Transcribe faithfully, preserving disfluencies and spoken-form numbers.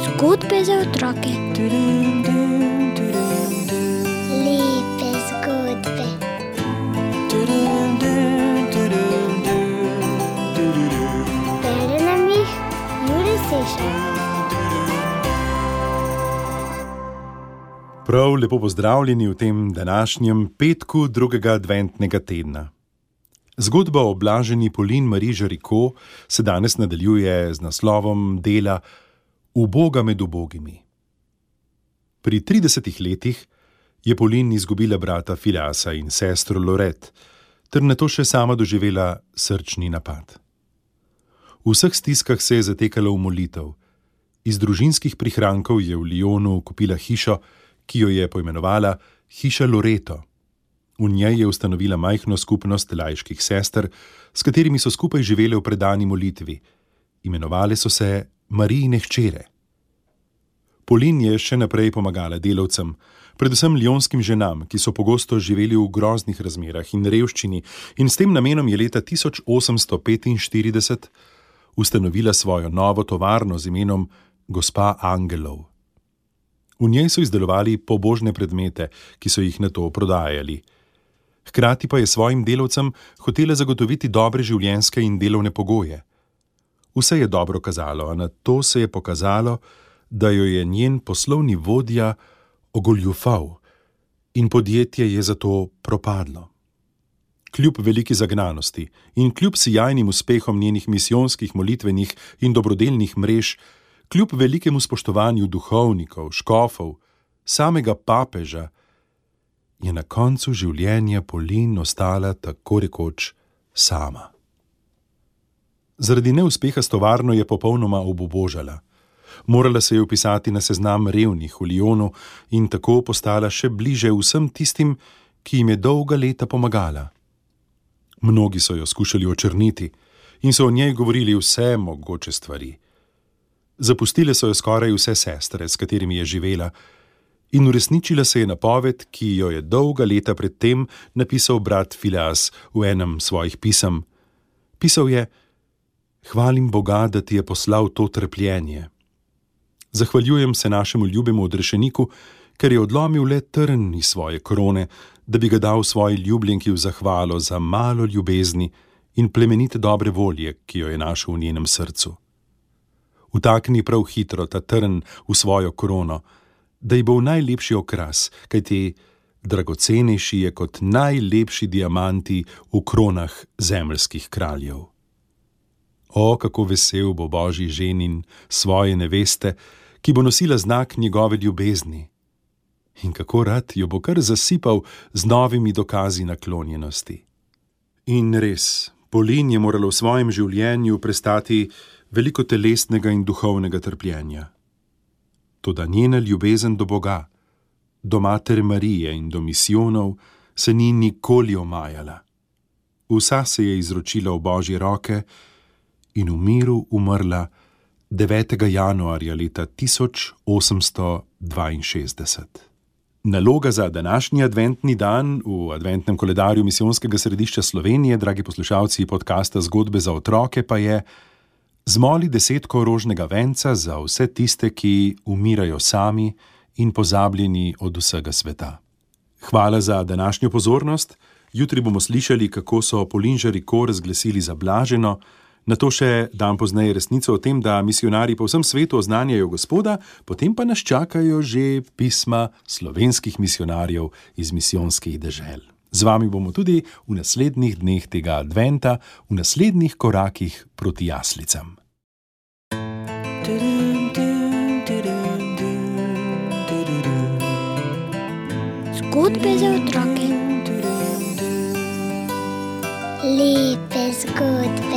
Zgodbe za otroke. Lepe zgodbe. Bere nam jih Jure Sešar. Prav lepo pozdravljeni v tem današnjem petku drugega adventnega tedna. Zgodba o blaženi Pauline Marie Jaricot se danes nadaljuje z naslovom dela Uboga med ubogimi. Pri tridesetih letih je Pauline izgubila brata Phileasa in sestro Laurette, ter nato še sama doživela srčni napad. V vseh stiskah se je zatekala v molitev. Iz družinskih prihrankov je v Lyonu kupila hišo, ki jo je poimenovala Hiša Loreto. V njej je ustanovila majhno skupnost laiških sester, s katerimi so skupaj živele v predani molitvi. Imenovale so se Marijine hčere. Pauline je še naprej pomagala delavcem, predvsem lyonskim ženam, ki so pogosto živeli v groznih razmerah in revščini, in s tem namenom je leta tisoč osemsto petinštirideset ustanovila svojo novo tovarno z imenom Gospa Angelov. V njej so izdelovali pobožne predmete, ki so jih nato prodajali. Hkrati pa je svojim delavcem hotela zagotoviti dobre življenjske in delovne pogoje. Vse je dobro kazalo, a nato se je pokazalo, da jo je njen poslovni vodja ogoljufal in podjetje je zato propadlo. Kljub veliki zagnanosti in kljub sijajnim uspehom njenih misijonskih, molitvenih in dobrodelnih mrež, kljub velikemu spoštovanju duhovnikov, škofov, samega papeža, je na koncu življenja Pauline ostala tako rekoč sama. Zaradi neuspeha s tovarno je popolnoma obubožala. Morala se je vpisati na seznam revnih v Lyonu in tako postala še bliže vsem tistim, ki jim je dolga leta pomagala. Mnogi so jo skušali očrniti in so o njej govorili vse mogoče stvari. Zapustile so jo skoraj vse sestre, s katerimi je živela, in uresničila se je napoved, ki jo je dolga leta pred tem napisal brat Phileas v enem svojih pisem. Pisal je: Hvalim Boga, da ti je poslal to trpljenje. Zahvaljujem se našemu ljubemu odrešeniku, ker je odlomil le trn iz svoje krone, da bi ga dal svoji ljubljenki v zahvalo za malo ljubezni in plemenite dobre volje, ki jo je našel v njenem srcu. Vtakni prav hitro ta trn v svojo krono, da ji bo v najlepši okras, kajti dragocenejši je kot najlepši diamanti v kronah zemeljskih kraljev. O, kako vesel bo Božji ženin svoje neveste, ki bo nosila znak njegove ljubezni. In kako rad jo bo kar zasipal z novimi dokazi naklonjenosti. In res, Pauline je morala v svojem življenju prestati veliko telesnega in duhovnega trpljenja. Toda njena ljubezen do Boga, do Matere Marije in do misijonov se ni nikoli omajala. Vsa se je izročila v Božje roke in v miru umrla devetega januarja leta tisoč osemsto dvainšestdeset. Naloga za današnji adventni dan v adventnem koledarju Misijonskega središča Slovenije, dragi poslušalci podcasta Zgodbe za otroke, pa je: zmoli desetko rožnega venca za vse tiste, ki umirajo sami in pozabljeni od vsega sveta. Hvala za današnjo pozornost. Jutri bomo slišali, kako so Pauline Jaricot razglasili za blaženo, nato še dan pozneje resnico o tem, da misijonarji po vsem svetu oznanjajo Gospoda, potem pa nas čakajo že pisma slovenskih misijonarjev iz misijonskih dežel. Z vami bomo tudi v naslednjih dneh tega adventa, v naslednjih korakih proti jaslicam. Zgodbe za otroke. Lepe zgodbe.